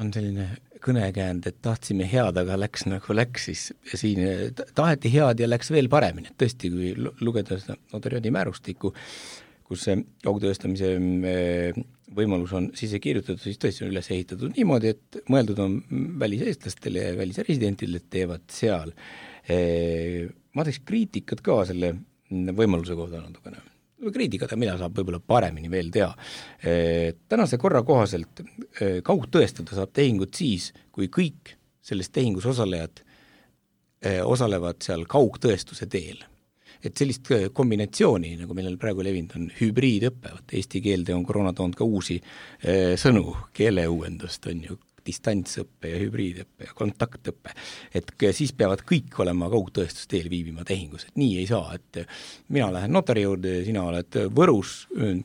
Speaker 4: on selline kõnekäänd, et tahtsime head, aga läks nagu läks, siis siin taheti head ja läks veel paremini. Tõesti, kui lugeda seda notariaadi määrustikku, kus see kaugtõestamise võimalus on sisse kirjutatud, siis tõesti on üles ehitatud niimoodi, et mõeldud on väliseestlastele ja välisresidentidele, et teevad seal. Ma teeks kriitikat ka selle võimaluse kohta natukene. Kriitikada, mida saab võib-olla paremini veel teha. Tänase korra kohaselt kaugtõestada saab tehingut siis, kui kõik sellest tehingus osalejad osalevad seal kaugtõestuse teel. Et sellist kombinatsiooni, nagu meil praegu levinud on hübriidõppe, eesti keelde on koroona toonud ka uusi sõnu, keeleuuendust on ju, distantsõppe ja hübriidõppe ja kontaktõppe, et siis peavad kõik olema kaugtõestusteel viibima tehingus, et nii ei saa, et mina lähen notari juurde, sina oled Võrus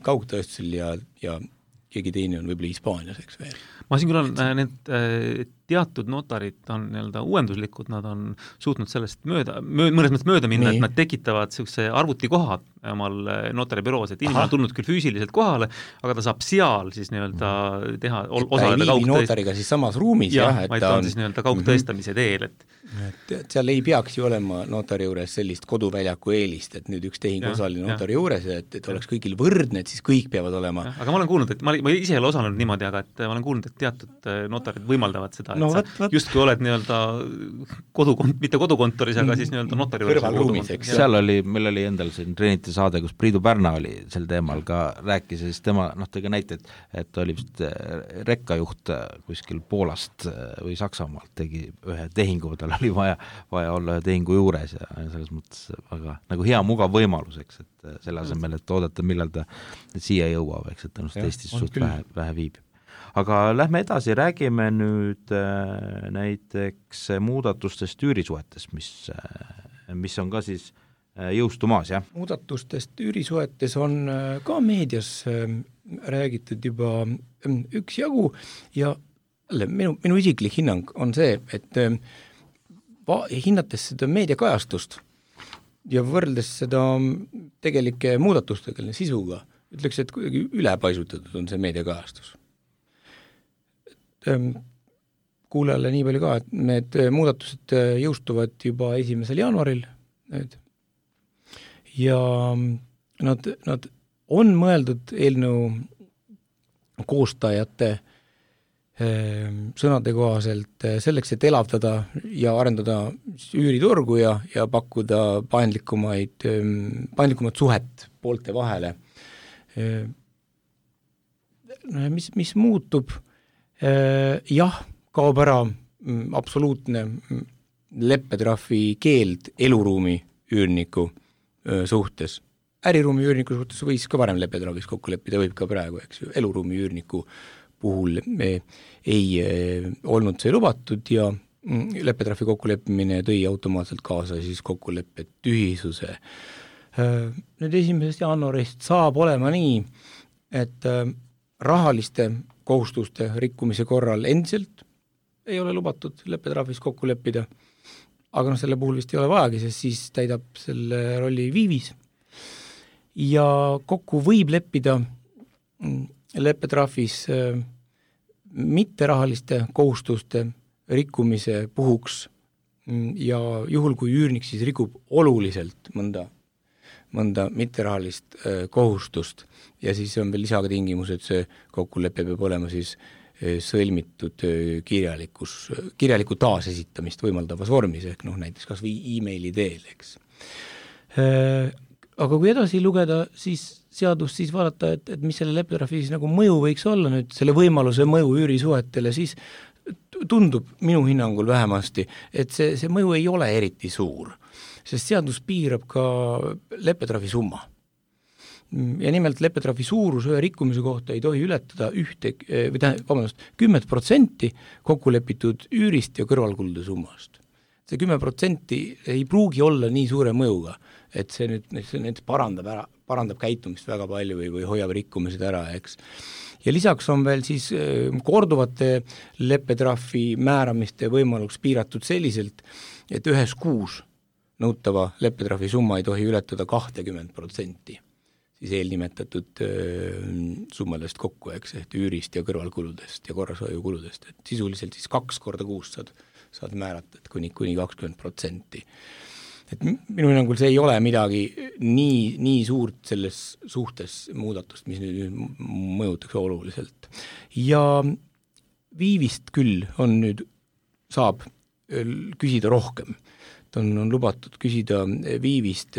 Speaker 4: kaugtõestusel ja keegi teine on võib-olla Hispaanias, eks veel.
Speaker 3: Ma siin küll on need teatud notarid on nii-öelda uuenduslikud, nad on suutnud sellest mõnes mõttes mööda minna, et nad tekitavad sellise arvutikoha omal notaribüroos, et inimene on tulnud küll füüsiliselt kohale, aga ta saab seal siis nii-öelda teha, osaleda
Speaker 4: notariga siis samas ruumis,
Speaker 3: vaid ta on siis nii-öelda kaugtõestamise teel,
Speaker 4: et seal ei peaks ju olema notari juures sellist koduväljaku eelist, et nüüd üks tehing osaline notari juures, et oleks kõigil võrdne, et siis kõik peavad olema.
Speaker 3: Aga ma olen kuulnud, et ma ise ei ole osalenud niimoodi, aga et ma olen kuulnud, et teatud notarid võimaldavad seda, et sa justkui oled nii-öelda mitte kodukontoris, aga siis nii-öelda notari
Speaker 4: kõrvalruumis, eks.
Speaker 2: Meil oli endal siin Trinity saade, kus Priidu Pärna oli sel teemal ka rääkis ja siis tema tõi näite, et oli vist rekkajuht kuskil Poolast või Saksamaalt tegi ühe tehingu, tal oli vaja olla ühe tehingu juures ja selles mõttes väga nagu hea mugav võimalus, eks, et selle asemel, et oodata, millal ta siia jõuab, eks, et ta Eestis suht vähe viibib. Aga lähme edasi, räägime nüüd näiteks muudatustest üürisuhetes, mis on ka siis jõustumas, jah?
Speaker 4: Muudatustest üürisuhetes on ka meedias räägitud juba üksjagu ja minu isiklik hinnang on see, et hinnates seda meediakajastust ja võrreldes seda tegelike muudatustega sisuga, ütleks, et kuidagi ülepaisutatud on see meediakajastus. Kuulajale nii palju ka, et need muudatused jõustuvad juba 1. jaanuaril nüüd. Ja nad on mõeldud eelnõu koostajate sõnade kohaselt selleks, et elavdada ja arendada üüriturgu ja pakkuda paindlikumat suhet poolte vahele. Mis muutub? Jah, kaob ära absoluutne leppetrahvi keeld eluruumi üürniku suhtes. Äriruumi üürniku suhtes võis ka varem leppetrahvis kokku leppida, võib ka praegu, eks ju. Eluruumi üürniku puhul ei olnud see lubatud ja leppetrahvi kokkuleppimine tõi automaatselt kaasa siis kokkuleppe tühisuse. Nüüd 1. jaanuarist saab olema nii, et rahaliste kohustuste rikkumise korral endiselt ei ole lubatud leppetrahvis kokku leppida, aga selle puhul vist ei ole vajagi, sest siis täidab selle rolli viivis. Ja kokku võib leppida leppetrahvis mitterahaliste kohustuste rikkumise puhuks ja juhul, kui üürnik siis rikub oluliselt mõnda mitterahalist kohustust ja siis on veel lisaga tingimus, et see kokkulepe peab olema siis sõlmitud kirjaliku taasesitamist võimaldavas vormis, ehk näiteks kas või e-maili teel, eks. Aga kui edasi lugeda siis seadust, siis vaadata, et mis selle leppetrahvi siis nagu mõju võiks olla nüüd, selle võimaluse mõju üürisuhetele, siis tundub minu hinnangul vähemasti, et see mõju ei ole eriti suur, sest seadus piirab ka leppetrahvi summa. Ja nimelt leppetrahvi suurus ühe rikkumise kohta ei tohi ületada 10% kokkulepitud üürist ja kõrvalkulude summast. See 10% ei pruugi olla nii suure mõjuga, et see nüüd parandab käitumist väga palju või hoiab rikkumised ära, eks. Ja lisaks on veel siis korduvate leppetrahvi määramiste võimaluks piiratud selliselt, et ühes kuus nõutava leppetrahvi summa ei tohi ületada 20%. Siis eelnimetatud summadest kokku, eks, et üürist ja kõrvalkuludest ja korrashoiukuludest, et sisuliselt siis 2 korda kuus saad määrata, et kuni 20%. Et minu hinnangul see ei ole midagi nii suurt selles suhtes muudatust, mis nüüd mõjutaks oluliselt. Ja viivist küll saab küsida rohkem. On lubatud küsida viivist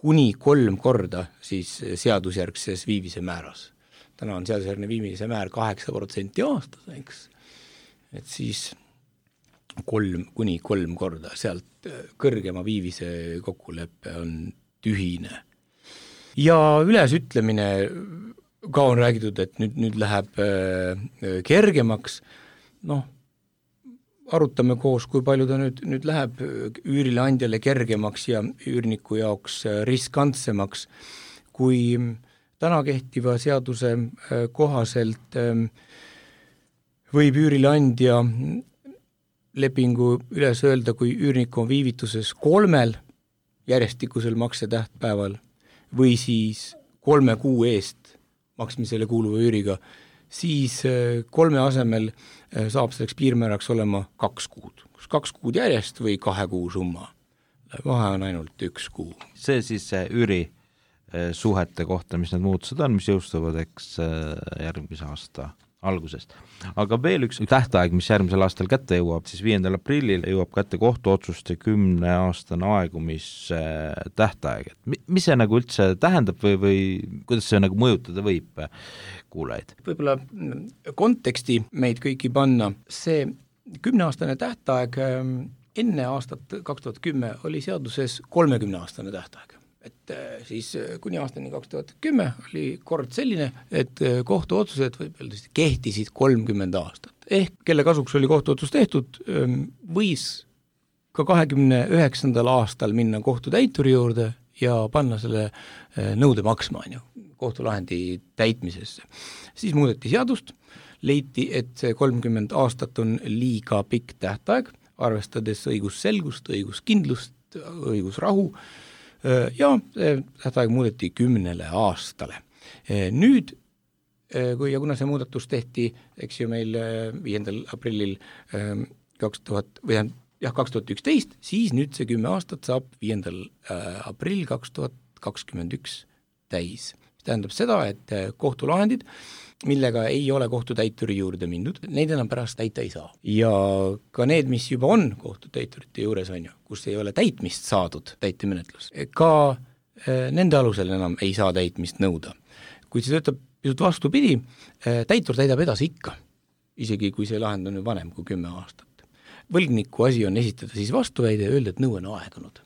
Speaker 4: kuni 3 korda siis seadusjärgses viivise määras. Täna on seadusjärgne viivise määr 8% aastas, eks. Et siis kuni 3 korda, sealt kõrgema viivise kokkuleppe on tühine. Ja ülesütlemine ka on räägitud, et nüüd läheb kergemaks, arutame koos, kui palju ta nüüd läheb üürileandjale kergemaks ja üürniku jaoks riskantsemaks, kui täna kehtiva seaduse kohaselt võib üürileandja lepingu üles öelda, kui üürnik on viivituses 3 järjestikusel maksetähtpäeval või siis 3 kuu eest maksmisele kuuluva üüriga, siis 3 asemel saab selleks piirmääraks olema 2 kuud. 2 kuud järjest või 2 kuu summa. Vahe on ainult 1 kuu.
Speaker 2: See siis üüri suhete kohta, mis need muutused on, mis jõustuvad järgmise aasta algusest. Aga veel üks tähtaeg, mis järgmisel aastal kätte jõuab, siis 5. aprillil jõuab kätte kohtuotsuste 10-aastane aegumistähtaeg. Mis see nagu üldse tähendab või kuidas see nagu mõjutada võib kuulajaid?
Speaker 4: Võib-olla konteksti meid kõiki panna. See 10-aastane tähtaeg enne aastat 2010 oli seaduses 30-aastane tähtaeg. Et siis kuni aastani 2010 oli kord selline, et kohtuotsused kehtisid 30 aastat. Ehk kelle kasuks oli kohtuotsus tehtud, võis ka 29. aastal minna kohtutäituri juurde ja panna selle nõude maksma kohtulahendi täitmisesse. Siis muudeti seadust, leiti, et see 30 aastat on liiga pikk tähtaeg, arvestades õigusselgust, õiguskindlust, õigusrahu, ja tähtaeg muudeti 10 aastale. Nüüd, kuna see muudatus tehti, eks ju meil 5. aprillil 2011, siis nüüd see 10 aastat saab 5. aprill 2021 täis. See tähendab seda, et kohtulahendid, millega ei ole kohtutäituri juurde mindud, neid enam pärast täita ei saa. Ja ka need, mis juba on kohtutäiturite juures kus ei ole täitmist saadud täitemenetlus, ka nende alusel enam ei saa täitmist nõuda. Kuid see töötab pisut vastupidi, täitur täidab edasi ikka, isegi kui see lahend on vanem kui 10 aastat. Võlgniku asi on esitada siis vastuväide ja öelda, et nõue on aegunud.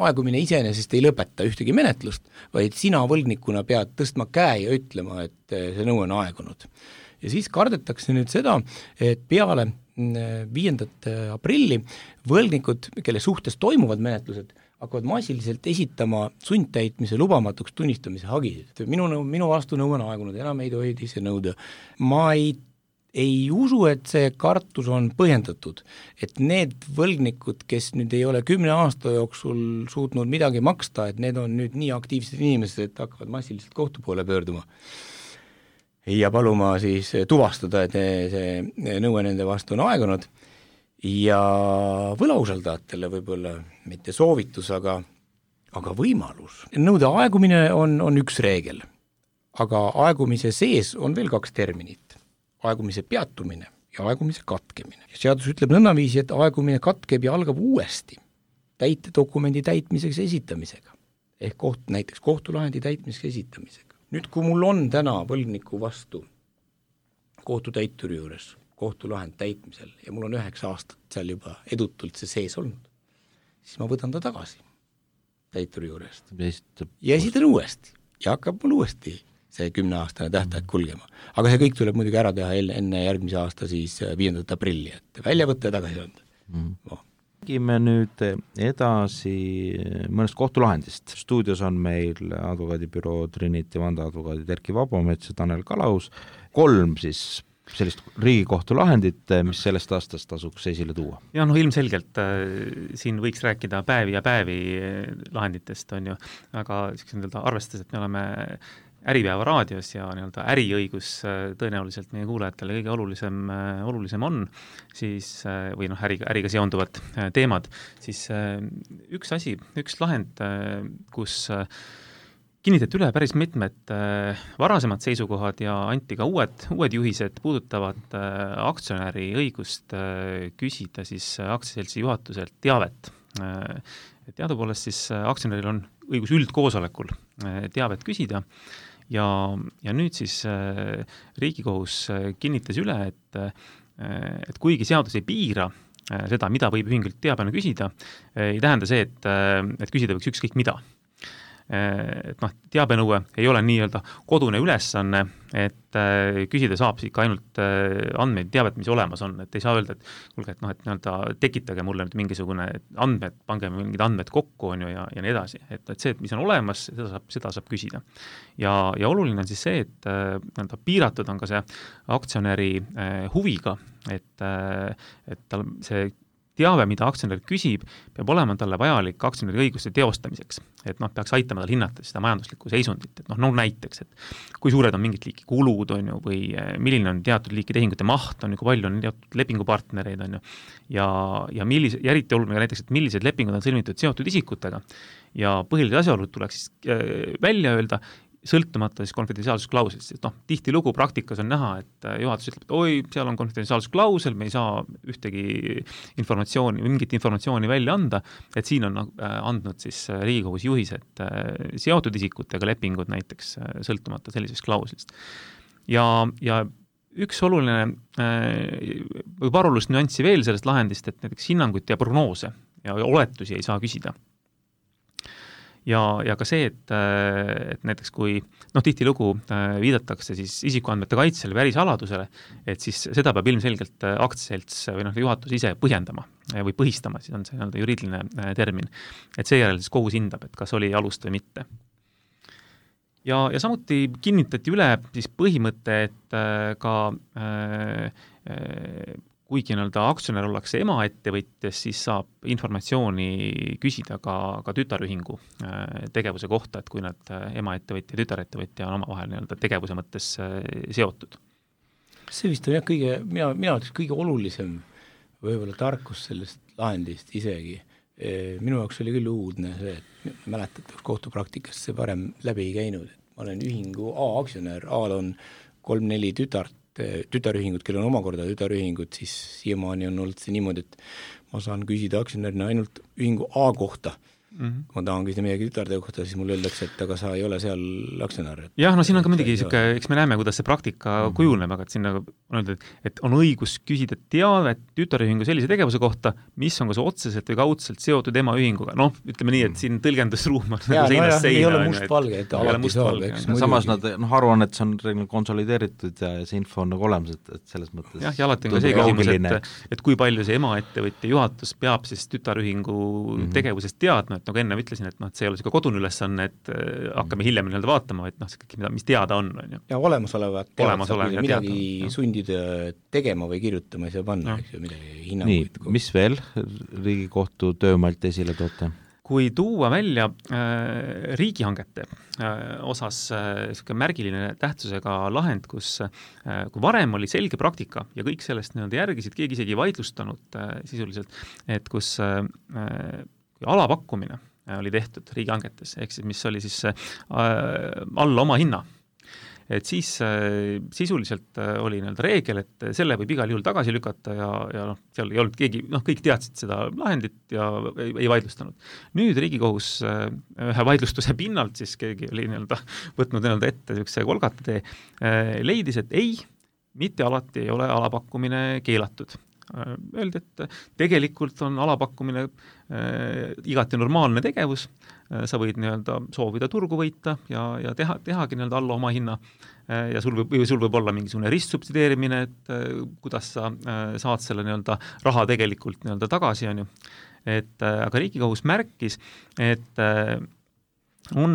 Speaker 4: Aegumine iseenesest ei lõpeta ühtegi menetlust, vaid sina võlgnikuna pead tõstma käe ja ütlema, et see nõue on aegunud. Ja siis kardetakse nüüd seda, et peale 5. aprilli võlgnikud, kelle suhtes toimuvad menetlused, hakkavad massiliselt esitama sundtäitmise lubamatuks tunnistamise hagisid. Minu vastu nõue on aegunud, enam ei tohi see nõuda. Ma ei usu, et see kartus on põhjendatud, et need võlgnikud, kes nüüd ei ole 10 aasta jooksul suutnud midagi maksta, et need on nüüd nii aktiivsed inimesed, et hakkavad massiliselt kohtu poole pöörduma ja paluma siis tuvastada, et see nõue nende vastu on aegunud ja võlausaldajatele võib-olla mitte soovitus, aga võimalus. Nõude aegumine on üks reegel, aga aegumise sees on veel 2 terminit. Aegumise peatumine ja aegumise katkemine. Ja seadus ütleb nõnnaviisi, et aegumine katkeb ja algab uuesti täitedokumendi täitmiseks esitamisega. Ehk näiteks kohtulahendi täitmiseks esitamisega. Nüüd, kui mul on täna võlgniku vastu kohtutäituri juures kohtulahend täitmisel ja mul on 9 aastat seal juba edutult see sees olnud, siis ma võtan ta tagasi täituri juurest ja esitan uuesti ja hakkab mul uuesti see 10-aastane tähtaeg kulgema. Aga see kõik tuleb muidugi ära teha enne järgmise aasta siis 5. aprilli, et välja võtta ja tagasi anda.
Speaker 2: Räägime nüüd edasi mõnest kohtulahendist. Stuudios on meil advokaadibüroo Trinity vandeadvokaadid Erki Vabamets ja Tanel Kalaus. 3 siis sellist riigikohtulahendit, mis sellest aastast tasuks esile tuua.
Speaker 3: Ja ilmselgelt siin võiks rääkida päevi ja päevi lahenditest, on ju, aga arvestades, et me oleme Äripäeva raadios ja äriõigus tõenäoliselt meie kuulajatele kõige olulisem on, siis, või äriga seonduvad teemad, siis üks lahend, kus kinnitati üle päris mitmed varasemad seisukohad ja anti ka uued juhised puudutavad aktsionäri õigust küsida siis aktsiaseltsi juhatuselt teavet. Teadupoolest siis aktsionäril on õigus üldkoosolekul teavet küsida ja nüüd siis Riigikohus kinnitas üle, et kuigi seadus ei piira seda, mida võib ühingult teabena küsida, ei tähenda see, et küsida võiks ükskõik mida. et noh, teabenõue ei ole nii-öelda kodune ülesanne, et küsida saab ikka ainult andmeid, teavet, mis olemas on, et ei saa öelda, et kuulge, et noh, et nii-öelda tekitage mulle nüüd mingisugune andmed, pange mingid andmed kokku, on ju, ja nii edasi. Et see, et mis on olemas, seda saab küsida. Ja oluline on siis see, et nii-öelda piiratud on ka see aktsionäri huviga, et tal see teave, mida aktsionär küsib, peab olema talle vajalik aktsionäri õiguste teostamiseks. Et noh, peaks aitama tal hinnata seda majanduslikku seisundit. Et noh, näiteks, et kui suured on mingid liiki kulud, on ju, või milline on teatud liiki tehingute maht, on ju, kui palju on teatud lepingupartnereid, on ju, ja eriti oluline näiteks, et millised lepingud on sõlmitud seotud isikutega. Ja põhilised asjaolud tuleks siis välja öelda, sõltumata siis konfidentsiaalsusklauslist, sest noh, tihtilugu praktikas on näha, et juhatus ütleb, et oi, seal on konfidentsiaalsusklausel, me ei saa ühtegi informatsiooni, mingit informatsiooni välja anda, et siin on andnud siis Riigikogus juhised seotud isikutega lepingud näiteks sõltumata sellisest klauslist. Ja üks oluline või parolust nüanssi veel sellest lahendist, et näiteks hinnanguid ja prognoose ja oletusi ei saa küsida. Ja ka see, et näiteks kui tihtilugu viidatakse siis isikuandmete kaitsele või ärisaladusele, et siis seda peab ilmselgelt aktsiaselts või juhatus ise põhjendama või põhistama, siis on see juriidiline termin, et seejärel siis kohus hindab, et kas oli alust või mitte. Ja samuti kinnitati üle siis põhimõte, et ka kuigi aktsionär ollakse emaettevõtjas, siis saab informatsiooni küsida ka tütarühingu tegevuse kohta, et kui nad emaettevõtja ja tütarettevõtja on omavahel tegevuse mõttes seotud.
Speaker 4: See vist on jah mina kõige olulisem võib-olla tarkus sellest lahendist isegi. Minu jaoks oli küll uudne see, et mäletate, kohtupraktikast see varem läbi ei käinud. Ma olen ühingu A aktsionär, A-l on 3-4 tütarühingud, kellel on omakorda tütarühingud, siis siiamaani on olnud see niimoodi, et ma saan küsida aktsionärina ainult ühingu A kohta. Kui ma tahan küsida midagi tütarde kohta, siis mulle öeldakse, et aga sa ei ole seal aktsionär.
Speaker 3: Jah, siin on ka muidugi eks me näeme, kuidas see praktika kujuneb, aga et siin on öeldud, et on õigus küsida teavet tütarühingu sellise tegevuse kohta, mis on kas otseselt või kaudselt seotud emaühinguga. Noh, ütleme nii, et siin tõlgendusruum on seinast seina.
Speaker 4: Ei ole mustvalge, et alati saab.
Speaker 2: Samas nad aruannet on konsolideeritud ja see info on olemas, et selles mõttes.
Speaker 3: Jah, ja alati on ka see küsimus, et kui palju see emaettevõtja juhatus peab siis tütarühingu tegevusest teadma, et nagu enne ütlesin, et see ei ole kodune ülesanne, et hakkame hiljem vaatama, et see kõik, mis teada on.
Speaker 4: Ja olemasolevat midagi sundida tegema või kirjutama ei saa panna, eks ju, midagi hinnanguid.
Speaker 2: Nii, mis veel Riigikohtu töömalt esile toote?
Speaker 3: Kui tuua välja riigihangete osas märgiline tähtsusega lahend, kus kui varem oli selge praktika ja kõik sellest järgisid, keegi isegi vaidlustanud sisuliselt, et kus alapakkumine oli tehtud riigihangetes, ehk siis mis oli siis alla oma hinna. Et siis sisuliselt oli reegel, et selle võib igal juhul tagasi lükata ja seal ei olnud keegi, kõik teadsid seda lahendit ja ei vaidlustanud. Nüüd Riigikohus ühe vaidlustuse pinnalt siis keegi oli võtnud ette niisuguse kolgatee, leidis, et ei, mitte alati ei ole alapakkumine keelatud. Öeldi, et tegelikult on alapakkumine igati normaalne tegevus, sa võid soovida turgu võita ja tehagi alla oma hinna ja sul võib olla mingisugune ristsubsideerimine, et kuidas sa saad selle raha tegelikult tagasi, on ju. Aga Riigikohus märkis, et on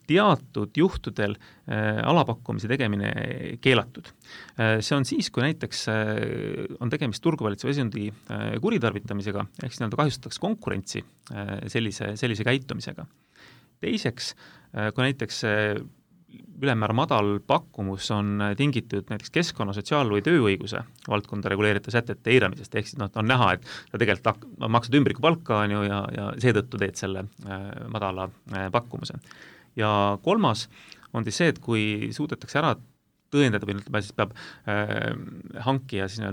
Speaker 3: teatud juhtudel alapakkumise tegemine keelatud. See on siis, kui näiteks on tegemist turguvalitseva seisundi kuritarvitamisega, ehk siis kahjustatakse konkurentsi sellise käitumisega. Teiseks, kui näiteks ülemäära madal pakkumus on tingitud näiteks keskkonna, sotsiaal- või tööõiguse valdkonda reguleerida sätete eiramisest, ehk siis on näha, et sa tegelikult maksad ümbrikupalka ja seetõttu teed selle madala pakkumuse. Ja kolmas on siis see, et kui suudetakse ära tõendada või siis peab hankija siis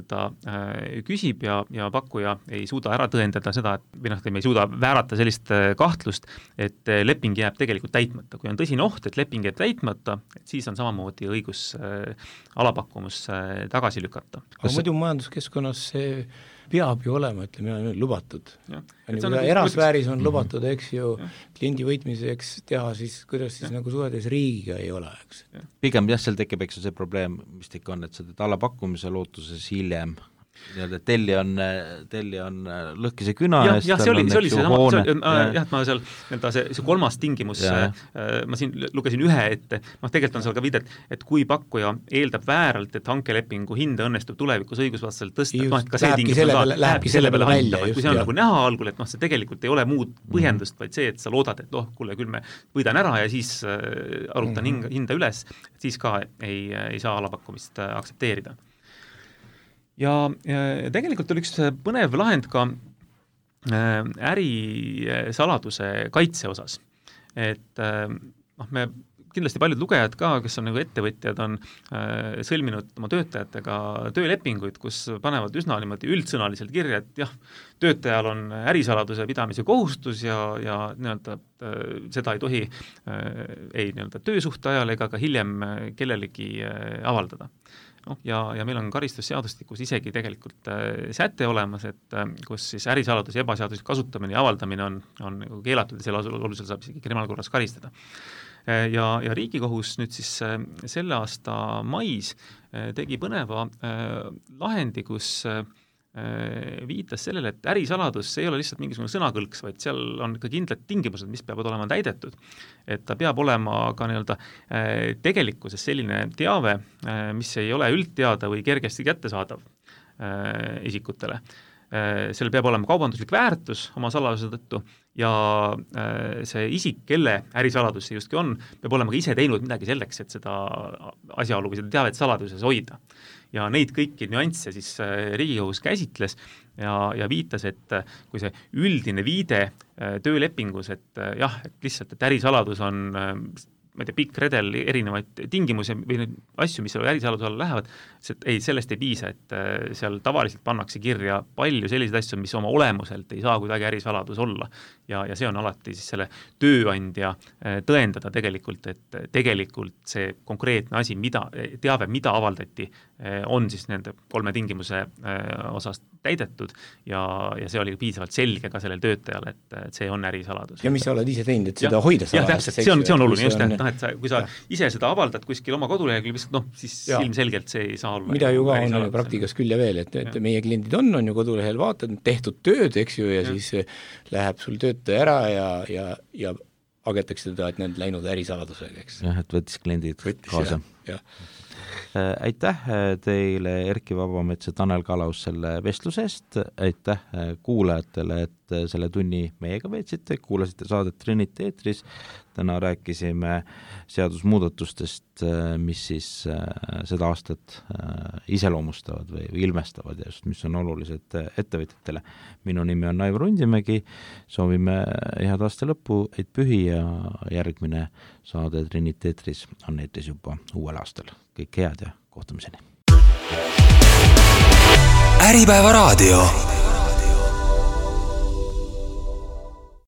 Speaker 3: küsib ja pakkuja ei suuda ära tõendada seda, et me ei suuda väärata sellist kahtlust, et leping jääb tegelikult täitmata. Kui on tõsine oht, et leping jääb täitmata, et siis on samamoodi õigus alapakkumus tagasi lükata.
Speaker 4: Aga muidu majanduskeskkonnas see peab ju olema, ütleme, lubatud. Erasfääris on lubatud, eks ju, kliendi võitmiseks teha siis, kuidas siis nagu suhetes riigiga ei ole, eks.
Speaker 2: Pigem seal tekib, eks see probleem, mis ta ikka on, et seda allapakkumise lootuses hiljem telli on lõhkise küna
Speaker 3: eest. See oli see sama, et ma seal see kolmas tingimus, ma siin lugesin ühe ette, tegelikult on seal ka viidet, et kui pakkuja eeldab vääralt, et hankelepingu hinda õnnestub tulevikus õigusvastaselt tõsta, et ka see tingimus lähebki selle peale välja, kui see on nagu näha algul, et see tegelikult ei ole muud põhjendust, vaid see, et sa loodad, et kuule, küll me võidan ära ja siis arutan hinda üles, siis ka ei saa alapakkumist aktsepteerida. Ja tegelikult oli üks põnev lahend ka ärisaladuse kaitse osas. Et me kindlasti paljud lugejad ka, kes on nagu ettevõtjad, on sõlminud oma töötajatega töölepinguid, kus panevad üsna niimoodi üldsõnaliselt kirja, et jah, töötajal on ärisaladuse pidamise kohustus ja nii-öelda seda ei tohi ei nii-öelda töösuhte ajal ega ka hiljem kellelegi avaldada. Ja meil on karistusseadustikus isegi tegelikult säte olemas, et kus siis ärisaladuse ebaseaduslik kasutamine ja avaldamine on keelatud ja selle alusel saab isegi kriminaalkorras karistada. Ja Riigikohus nüüd siis selle aasta mais tegi põneva lahendi, kus viitas sellele, et ärisaladus ei ole lihtsalt mingisugune sõnakõlks, vaid seal on ka kindlad tingimused, mis peavad olema täidetud. Et ta peab olema ka nii-öelda tegelikkuses selline teave, mis ei ole üldteada või kergesti kättesaadav isikutele. Seal peab olema kaubanduslik väärtus oma saladuse tõttu ja see isik, kelle ärisaladus see justkui on, peab olema ka ise teinud midagi selleks, et seda asjaolu või seda teavet saladuses hoida. Ja neid kõiki nüansse siis Riigikohus käsitles ja viitas, et kui see üldine viide töölepingus, et jah, et lihtsalt, et ärisaladus on ma ei tea, pikk redel erinevaid tingimusi või neid asju, mis ärisaladuse alla lähevad, sellest ei piisa, et seal tavaliselt pannakse kirja palju selliseid asju, mis oma olemuselt ei saa kuidagi ärisaladus olla. Ja see on alati siis selle tööandja tõendada tegelikult, et tegelikult see konkreetne asi, teave, mida avaldati, on siis nende 3 tingimuse osas täidetud ja see oli piisavalt selge ka sellel töötajal, et see on ärisaladus.
Speaker 4: Ja mis sa oled ise teinud, et seda hoida
Speaker 3: saladus? Jah, täpselt, see on oluline just, et kui sa ise seda avaldad kuskil oma koduleheküljel, siis ilmselgelt see ei saa olla.
Speaker 4: Mida ju ka on praktikas küll ja veel, et meie kliendid on ju kodulehel, vaatad tehtud tööd, eks ju, ja siis läheb sul töötaja ära ja agetakse teda, et need läinud ärisaladusega, eks.
Speaker 2: Jah, et võttis kliendid kaasa. Aitäh teile, Erki Vabamets ja Tanel Kalaus selle vestluse-st, aitäh kuulajatele, et selle tunni meiega veetsite, kuulasite saadet Trinity eetris, täna rääkisime seadusmuudatustest, mis siis seda aastat iseloomustavad või ilmestavad ja just, mis on olulised ettevõtjatele. Minu nimi on Aivar Undimägi, soovime head aasta lõppu, et pühi ja järgmine saade Trinity eetris on eetris juba uuel aastal. Kõik head ja kohtumiseni.
Speaker 1: Äripäeva raadio.